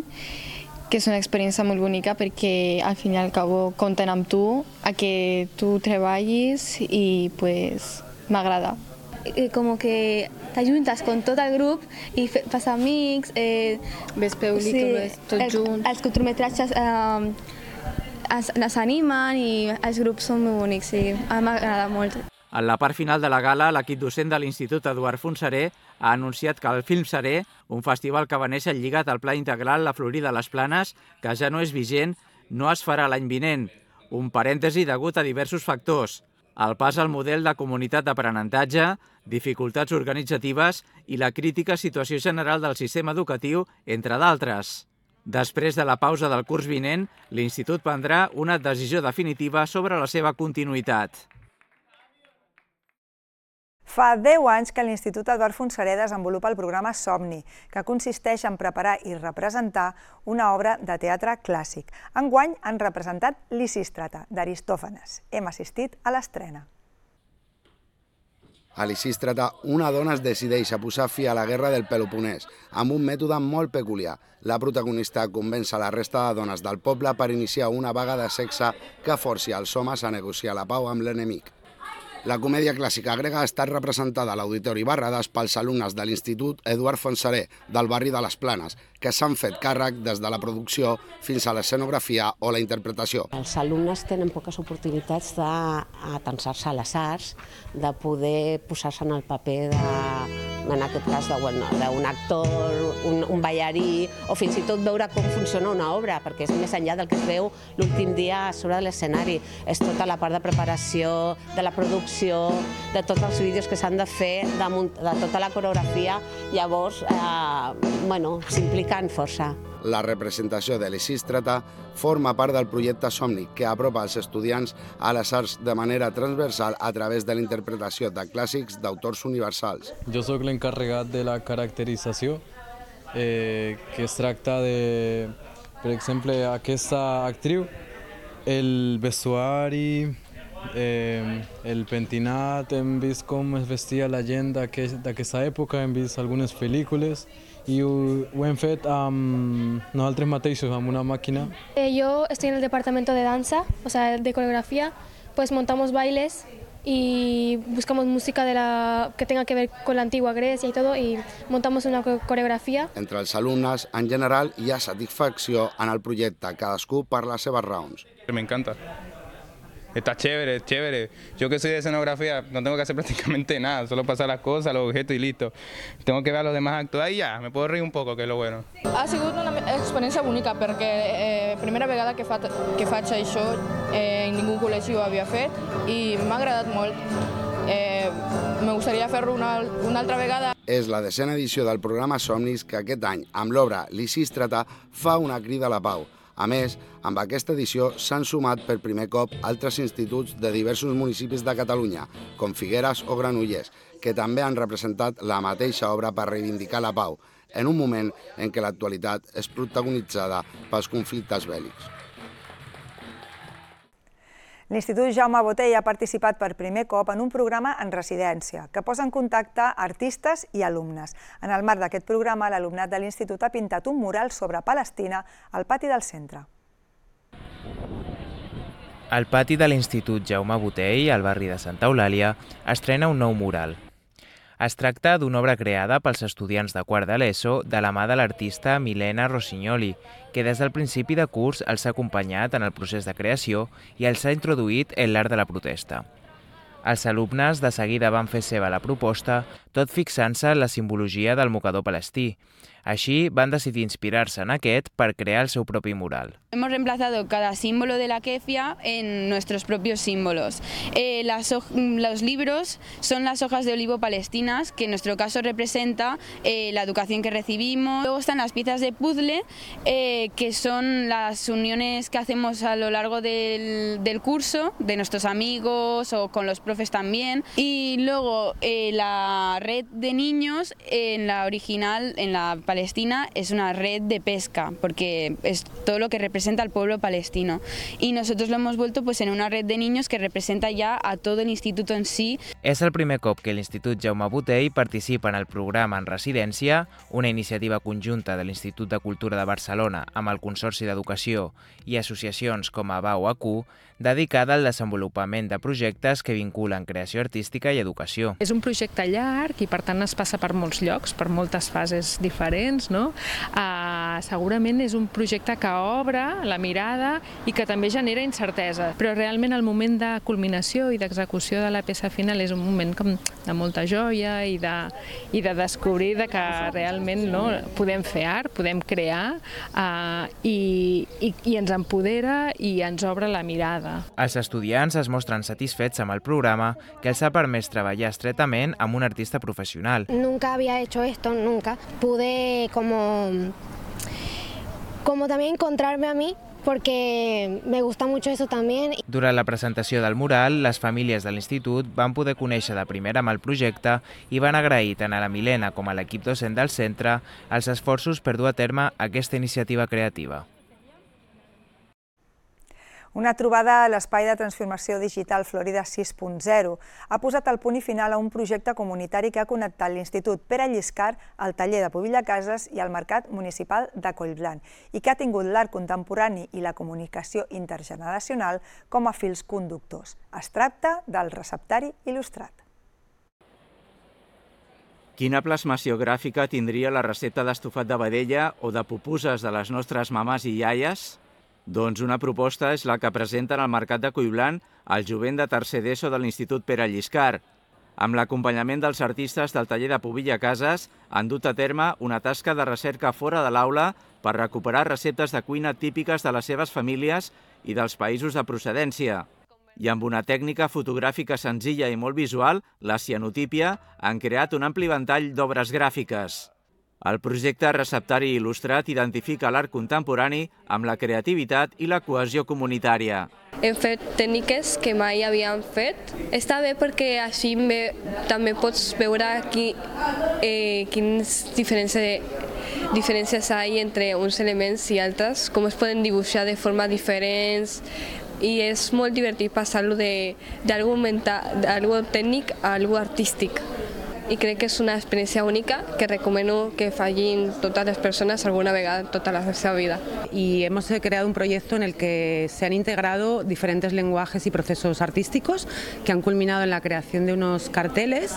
que és una experiència molt bonica perquè al fin i al cabo compten amb tu, a que tu treballis i pues m'agrada. Como que t'ajuntes con tot el grup i fas amics. Ves pel·lícules, tots junts. Els curtmetratges les animen i els grups són molt bonics, sí, a mi m'agrada molt. En la part final de la gala, l'equip docent de l'Institut Eduard Fontserè ha anunciat que el Film Serè, un festival que va néixer lligat al Pla Integral La Florida Les Planes, que ja no és vigent, no es farà l'any vinent. Un parèntesi degut a diversos factors: el pas al model de comunitat d'aprenentatge, dificultats organitzatives i la crítica situació general del sistema educatiu, entre d'altres. Després de la pausa del curs vinent, l'Institut prendrà una decisió definitiva sobre la seva continuïtat. Fa 10 anys que l'Institut Eduard Fontserè desenvolupa el programa Somni, que consisteix en preparar i representar una obra de teatre clàssic. Enguany han representat Lisístrata, d'Aristòfanes. Hem assistit a l'estrena. A Lisístrata, una dona es decideix a posar fi a la guerra del Peloponès amb un mètode molt peculiar. La protagonista convenç a la resta de dones del poble per iniciar una vaga de sexe que forci els homes a negociar la pau amb l'enemic. La comèdia clàssica grega ha estat representada a l'Auditori Barradas pels alumnes de l'Institut Eduard Fontserè del barri de les Planes, que s'han fet càrrec des de la producció fins a l'escenografia o la interpretació. Els alumnes tenen poques oportunitats d'atensar-se a les arts, de poder posar-se en el paper en aquest cas d'un actor, un ballarí, o fins i tot veure com funciona una obra, perquè és més enllà del que es veu l'últim dia sobre l'escenari. És tota la part de preparació, de la producció, de tots els vídeos que s'han de fer, de tota la coreografia, llavors s'impliquen força. La representació de Lisístrata forma part del projecte Somni, que apropa els estudiants a les arts de manera transversal a través de la interpretació de clàssics d'autors universals. Jo sóc l'encarregat de la caracterització, que es tracta de, per exemple, aquesta actriu, el vestuari, el pentinat, hem vist com es vestia la gent d'aquesta època, hem vist algunes pel·lícules i ho hem fet nosaltres mateixos, amb una màquina. Yo estoy en el departamento de danza, o sea, de coreografía, pues montamos bailes y buscamos música que tenga que ver con la antigua Grecia y todo, y montamos una coreografía. Entre els alumnes, en general, hi ha satisfacció en el projecte, cadascú per les seves raons. Me encanta. Está chévere, es chévere. Yo que soy de escenografía no tengo que hacer prácticamente nada, solo pasar las cosas, los objetos y listo. Tengo que ver a los demás actuar y ya, me puedo reír un poco, que es lo bueno. Ha sigut una experiència bonica perquè primera vegada que faig això en ningú col·legi ho havia fet i m'ha agradat molt. Me gustaría fer-ho una altra vegada. És la 10ª edició del programa Somnis que aquest any, amb l'obra Lisístrata, fa una crida a la pau. A més, amb aquesta edició s'han sumat per primer cop altres instituts de diversos municipis de Catalunya, com Figueres o Granollers, que també han representat la mateixa obra per reivindicar la pau, en un moment en què l'actualitat és protagonitzada pels conflictes bèl·lics. L'Institut Jaume Botey ha participat per primer cop en un programa en residència que posa en contacte artistes i alumnes. En el marc d'aquest programa, l'alumnat de l'Institut ha pintat un mural sobre Palestina al pati del centre. Al pati de l'Institut Jaume Botey, al barri de Santa Eulàlia, estrena un nou mural. Es tracta d'una obra creada pels estudiants de quart de l'ESO de la mà de l'artista Milena Rossignoli, que des del principi de curs els ha acompanyat en el procés de creació i els ha introduït en l'art de la protesta. Els alumnes de seguida van fer seva la proposta, tot fixant-se en la simbologia del mocador palestí. Així, van decidir inspirar-se en aquest per crear el seu propi mural. Hemos reemplazado cada símbolo de la kefia en nuestros propios símbolos. Los libros son las hojas de olivo palestinas, que en nuestro caso representa la educación que recibimos. Luego están las piezas de puzzle, que son las uniones que hacemos a lo largo del curso, de nuestros amigos o con los profes también. Y luego la red de niños, en la original, en la Palestina, es una red de pesca, porque es todo lo que representa al pueblo palestino. Y nosotros lo hemos vuelto en una red de niños que representa ya a todo el instituto en sí. És el primer cop que l'Institut Jaume Botey participa en el programa en residència, una iniciativa conjunta de l'Institut de Cultura de Barcelona amb el Consorci d'Educació i associacions com a BAU-AQ, dedicada al desenvolupament de projectes que vinculen creació artística i educació. És un projecte llarg i per tant es passa per molts llocs, per moltes fases diferents, no? Segurament és un projecte que obre la mirada i que també genera incertesa, però realment el moment de culminació i d'execució de la peça final és un moment de molta joia i de descobrir que realment podem fer art, podem crear i ens empodera i ens obre la mirada. Els estudiants es mostren satisfets amb el programa, que els ha permès treballar estretament amb un artista professional. Nunca había hecho esto, nunca. Pude como también encontrarme a mí, porque me gusta mucho eso también. Durant la presentació del mural, les famílies de l'institut van poder conèixer de primera mà el projecte i van agrair tant a la Milena com a l'equip docent del centre els esforços per dur a terme aquesta iniciativa creativa. Una trobada a l'Espai de Transformació Digital Florida 6.0 ha posat el punt i final a un projecte comunitari que ha connectat l'Institut Pere Lliscar, el taller de Pubilla Cases i el Mercat Municipal de Collblanc i que ha tingut l'art contemporani i la comunicació intergeneracional com a fils conductors. Es tracta del receptari il·lustrat. Quina plasmació gràfica tindria la recepta d'estofat de vedella o de pupuses de les nostres mames i iaies? Doncs una proposta és la que presenten al Mercat de Collblanc el jovent de tercer d'ESO de l'Institut Pere Lliscar. Amb l'acompanyament dels artistes del taller de Pubilla Cases han dut a terme una tasca de recerca fora de l'aula per recuperar receptes de cuina típiques de les seves famílies i dels països de procedència. I amb una tècnica fotogràfica senzilla i molt visual, la cianotípia, han creat un ampli ventall d'obres gràfiques. El projecte Receptari Il·lustrat identifica l'art contemporani amb la creativitat i la cohesió comunitària. Hem fet tècniques que mai havíem fet. Està bé perquè així també pots veure quines diferències hi ha entre uns elements i altres, com es poden dibuixar de forma diferents, i és molt divertit passar-lo d'algú tècnic a algú artístic. i crec que és una experiència única que recomano que facin totes les persones alguna vegada en tota la seva vida. Y hemos creado un proyecto en el que se han integrado diferentes lenguajes y procesos artísticos que han culminado en la creación de unos carteles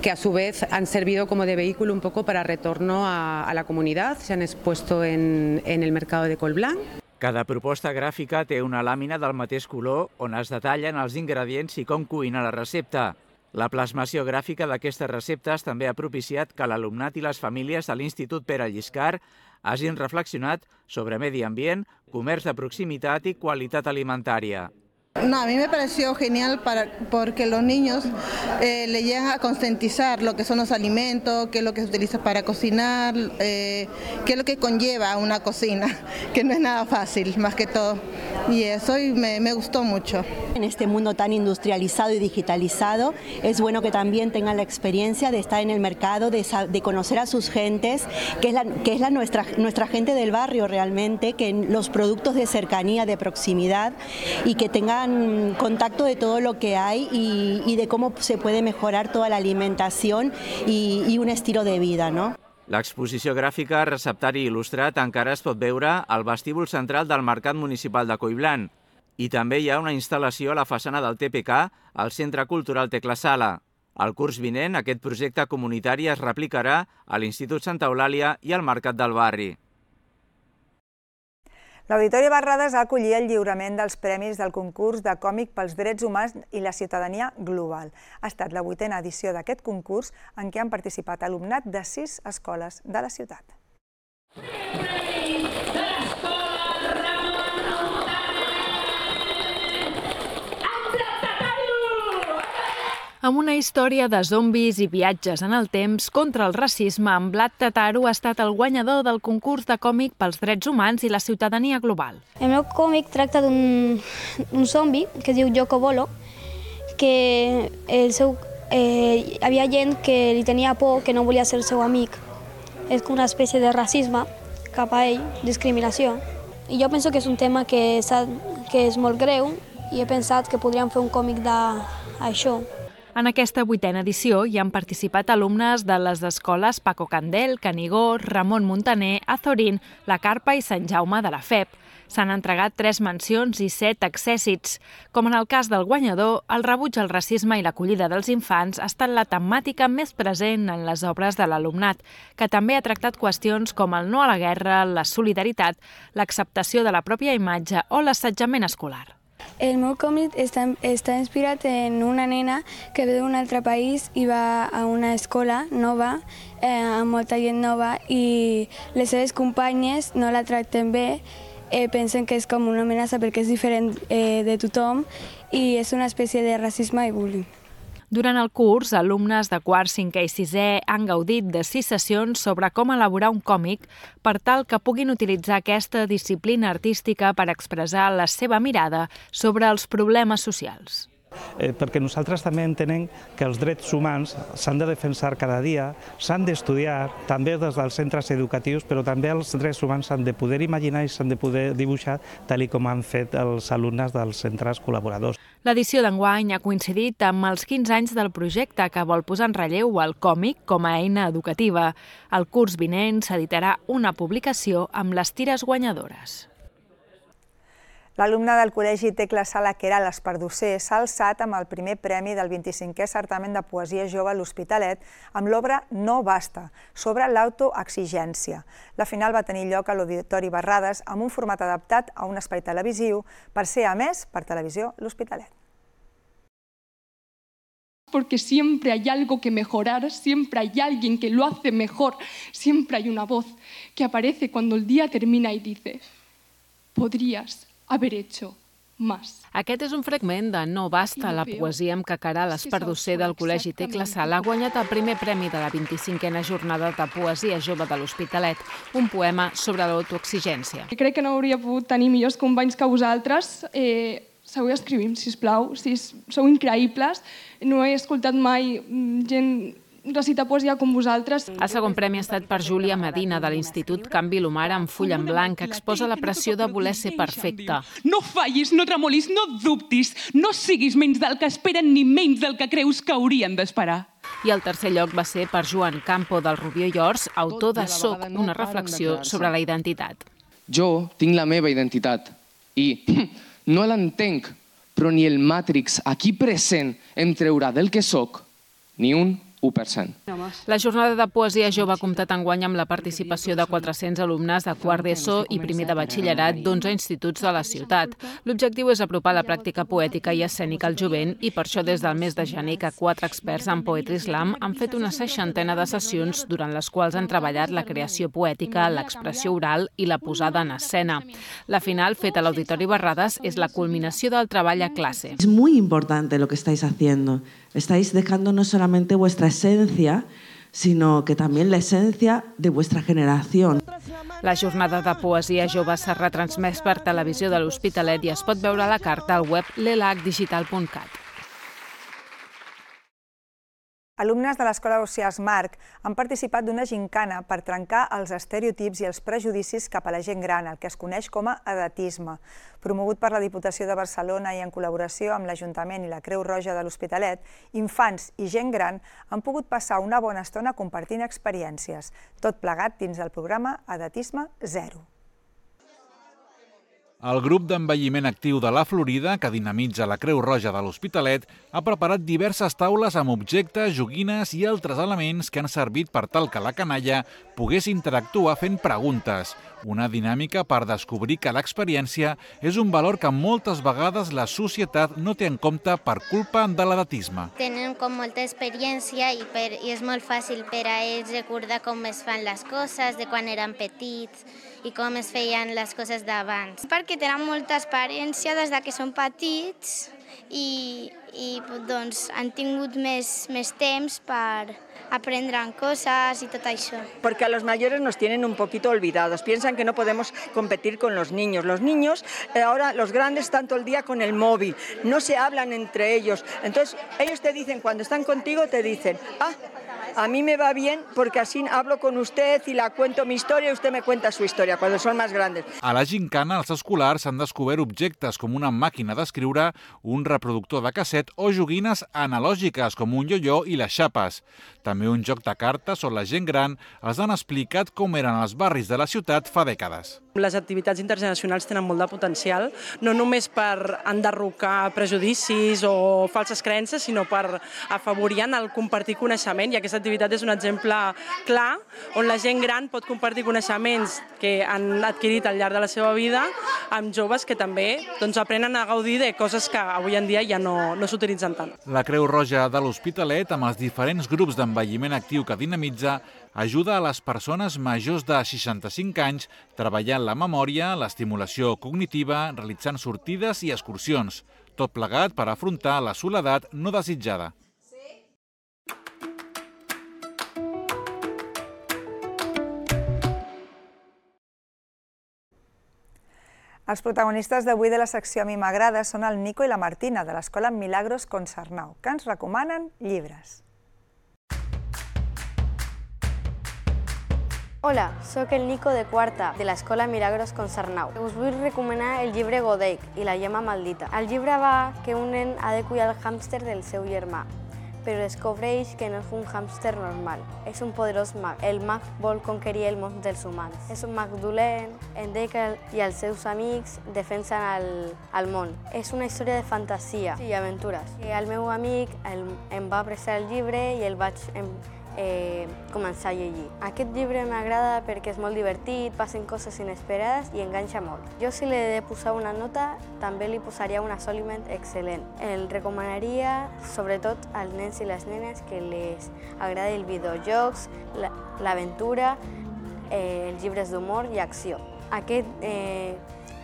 que a su vez han servido como de vehículo un poco para retorno a la comunidad, se han expuesto en el mercado de Colblanc. Cada proposta gràfica té una làmina del mateix color on es detallen els ingredients i com cuinar la recepta. La plasmació gràfica d'aquestes receptes també ha propiciat que l'alumnat i les famílies de l'Institut Pere Lliscar hagin reflexionat sobre medi ambient, comerç de proximitat i qualitat alimentària. No, a mí me pareció genial porque los niños le llegan a concientizar lo que son los alimentos, qué es lo que se utiliza para cocinar, qué es lo que conlleva una cocina, que no es nada fácil, más que todo. Y eso me gustó mucho. En este mundo tan industrializado y digitalizado, es bueno que también tengan la experiencia de estar en el mercado, de conocer a sus gentes, que es nuestra gente del barrio realmente, que los productos de cercanía, de proximidad, y que tengan contacto de todo lo que hay y de cómo se puede mejorar toda la alimentación y un estilo de vida, ¿no? L'exposició gràfica Receptari il·lustrat encara es pot veure al vestíbul central del Mercat Municipal de Collblanc i també hi ha una instal·lació a la façana del TPK al Centre Cultural Tecla Sala. El curs vinent aquest projecte comunitari es replicarà a l'Institut Santa Eulàlia i al Mercat del Barri. L'Auditori Barrades ha acollit el lliurament dels premis del concurs de còmic pels drets humans i la ciutadania global. Ha estat la 8a edició d'aquest concurs en què han participat alumnat de 6 escoles de la ciutat. Amb una història de zombis i viatges en el temps contra el racisme, en Vlad Tataru ha estat el guanyador del concurs de còmic pels drets humans i la ciutadania global. El meu còmic tracta d'un zombi que es diu Yoko Bolo, que hi havia gent que li tenia por, que no volia ser seu amic. És com una espècie de racisme cap a ell, discriminació. I jo penso que és un tema que és molt greu i he pensat que podríem fer un còmic d'això. En aquesta 8a edició hi han participat alumnes de les escoles Paco Candel, Canigó, Ramon Muntaner, Azorín, La Carpa i Sant Jaume de la FEP. S'han entregat 3 mencions i 7 accèssits. Com en el cas del guanyador, el rebuig al racisme i l'acollida dels infants ha estat la temàtica més present en les obres de l'alumnat, que també ha tractat qüestions com el no a la guerra, la solidaritat, l'acceptació de la pròpia imatge o l'assetjament escolar. El meu còmic està inspirat en una nena que ve d'un altre país i va a una escola nova, amb molta gent nova, i les seves companyes no la tracten bé, pensen que és com una amenaça perquè és diferent de tothom i és una espècie de racisme i bullying. Durant el curs, alumnes de quart, 5è i 6è han gaudit de 6 sessions sobre com elaborar un còmic per tal que puguin utilitzar aquesta disciplina artística per expressar la seva mirada sobre els problemes socials. Perquè nosaltres també entenem que els drets humans s'han de defensar cada dia, s'han d'estudiar, també des dels centres educatius, però també els drets humans s'han de poder imaginar i s'han de poder dibuixar tal com han fet els alumnes dels centres col·laboradors. L'edició d'enguany ha coincidit amb els 15 anys del projecte que vol posar en relleu el còmic com a eina educativa. El curs vinent s'editarà una publicació amb les tires guanyadores. L'alumne del Col·legi Tecla Sala Queralt Espardosser s'ha alçat amb el primer premi del 25è certamen de poesia jove a l'Hospitalet amb l'obra No basta, sobre l'autoexigència. La final va tenir lloc a l'Auditori Barrades amb un format adaptat a un espai televisiu per ser emès per Televisió L'Hospitalet. Porque siempre hay algo que mejorar, siempre hay alguien que lo hace mejor, siempre hay una voz que aparece cuando el día termina y dice: podrías haber hecho más. Aquest és un fragment de No basta, la poesia amb què Queralt Espardosser del Col·legi Tecla Sala ha guanyat el primer premi de la 25a jornada de poesia jove de l'Hospitalet, un poema sobre l'autoexigència. Crec que no hauria pogut tenir millors companys que vosaltres. Seguiu escrivint, sisplau, sou increïbles. No he escoltat mai gent recitar poesia com vosaltres. El segon premi ha estat per Júlia Medina, de l'Institut Can Vilomara, amb full en blanc, que exposa la pressió de voler ser perfecta. No fallis, no tremolis, no dubtis, no siguis menys del que esperen ni menys del que creus que haurien d'esperar. I el tercer lloc va ser per Joan Campo del Rubió i Ors, autor de Soc, una reflexió sobre la identitat. Jo tinc la meva identitat i no l'entenc, però ni el Matrix aquí present em traurà del que soc ni un 1%. La jornada de poesia jove ha comptat enguany amb la participació de 400 alumnes de quart d'ESO i primer de batxillerat d'11 instituts de la ciutat. L'objectiu és apropar la pràctica poètica i escènica al jovent i per això des del mes de gener que 4 experts en Poetry Slam han fet una 60ena de sessions durant les quals han treballat la creació poètica, l'expressió oral i la posada en escena. La final, feta a l'Auditori Barrades, és la culminació del treball a classe. Es muy importante lo que estáis haciendo. Estáis dejando no solamente vuestra esencia, sino que también la esencia de vuestra generación. La jornada de poesia jove s'ha retransmès per televisió de l'Hospitalet i es pot veure a la carta al web lelacdigital.cat. Alumnes de l'Escola Ausiàs Marc han participat d'una gincana per trencar els estereotips i els prejudicis cap a la gent gran, el que es coneix com a edatisme. Promogut per la Diputació de Barcelona i en col·laboració amb l'Ajuntament i la Creu Roja de l'Hospitalet, infants i gent gran han pogut passar una bona estona compartint experiències, tot plegat dins del programa Edatisme Zero. El grup d'envelliment actiu de la Florida, que dinamitza la Creu Roja de l'Hospitalet, ha preparat diverses taules amb objectes, joguines i altres elements que han servit per tal que la canalla pogués interactuar fent preguntes. Una dinàmica per descobrir que l'experiència és un valor que moltes vegades la societat no té en compte per culpa de l'edatisme. Tenen com molta experiència i és molt fàcil per a ells recordar com es fan les coses de quan eren petits i com es feien les coses d'abans. Perquè tenen molta experiència des que són petits i doncs, han tingut més temps per aprender cosas y todo eso. Porque a los mayores nos tienen un poquito olvidados, piensan que no podemos competir con los niños. Los niños, ahora los grandes están todo el día con el móvil, no se hablan entre ellos. Entonces ellos te dicen, cuando están contigo te dicen, a mí me va bien porque así hablo con usted y la cuento mi historia y usted me cuenta su historia cuando son más grandes. A la gincana, els escolars han descobert objectes com una màquina d'escriure, un reproductor de casset o joguines analògiques com un ioió i les xapes. També un joc de cartes on la gent gran els han explicat com eren els barris de la ciutat fa dècades. Les activitats intergeneracionals tenen molt de potencial, no només per enderrocar prejudicis o falses creences, sinó per afavorir el compartir coneixement, i aquesta activitat és un exemple clar on la gent gran pot compartir coneixements que han adquirit al llarg de la seva vida amb joves que també aprenen a gaudir de coses que avui en dia ja no s'utilitzen tant. La Creu Roja de l'Hospitalet, amb els diferents grups d'envelliment actiu que dinamitza, ajuda a les persones majors de 65 anys treballant la memòria, l'estimulació cognitiva, realitzant sortides i excursions, tot plegat per afrontar la soledat no desitjada. Els protagonistes d'avui de la secció A mi m'agrada són el Nico i la Martina, de l'Escola Milagros Consarnau, que ens recomanen llibres. Hola, sóc el Nico de quarta, de l'Escola Milagros Consarnau. Us vull recomanar el llibre Godeic i la gemma maldita. El llibre va que un nen ha de cuidar el hàmster del seu germà, però descobreix que no és un hàmster normal. És un poderós mag. El mag vol conquerir el món dels humans. És un mag dolent, en Dekel i els seus amics defensen el món. És una història de fantasia i aventures. El meu amic em va prestar el llibre i el vaig començar a llegir. Aquest llibre m'agrada perquè és molt divertit, passen coses inesperades i enganxa molt. Jo, si li he de posar una nota, també li posaria un assoliment excel·lent. El recomanaria sobretot als nens i les nenes que les agrada els videojocs, l'aventura, els llibres d'humor i acció. Aquest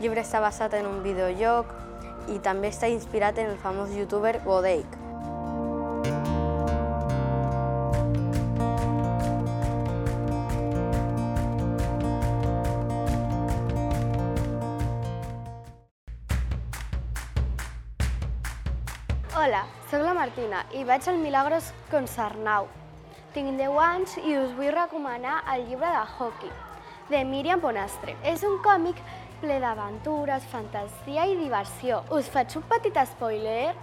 llibre està basat en un videojoc i també està inspirat en el famós youtuber Godeic. Hola, soc la Martina i vaig al Milagros Consarnau. Tinc 10 anys i us vull recomanar el llibre de Hockey, de Míriam Bonastre. És un còmic ple d'aventures, fantasia i diversió. Us faig un petit spoiler,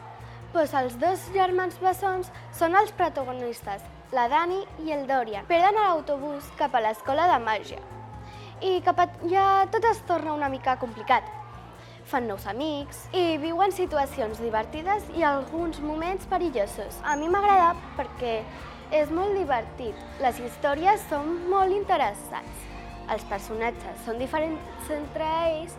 Doncs els dos germans bessons són els protagonistes, la Dani i el Dorian. Perden a l'autobús cap a l'escola de màgia i cap allà tot es torna una mica complicat. Fan nous amics i viuen situacions divertides i alguns moments perillosos. A mi m'agrada perquè és molt divertit. Les històries són molt interessants. Els personatges són diferents entre ells.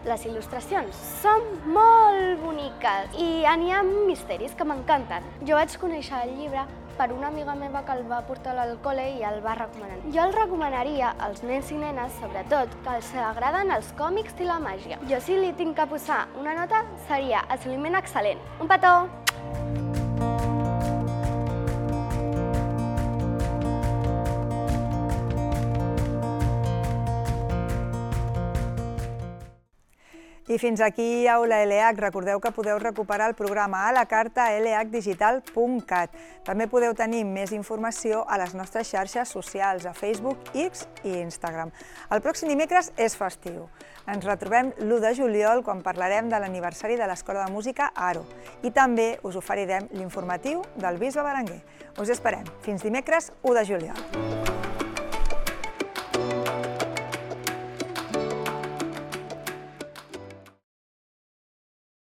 Les il·lustracions són molt boniques i n'hi ha misteris que m'encanten. Jo vaig conèixer el llibre per una amiga meva que el va portar al col·le i el va recomanar. Jo el recomanaria als nens i nenes, sobretot, que els agraden els còmics i la màgia. Jo si li tinc que posar una nota seria assoliment excel·lent. Un petó! I fins aquí Aula LH. Recordeu que podeu recuperar el programa a la carta a lhdigital.cat. També podeu tenir més informació a les nostres xarxes socials, a Facebook, X i Instagram. El pròxim dimecres és festiu. Ens retrobem l'1 de juliol quan parlarem de l'aniversari de l'Escola de Música Aro. I també us oferirem l'informatiu del Bisbe Berenguer. Us esperem. Fins dimecres 1 de juliol.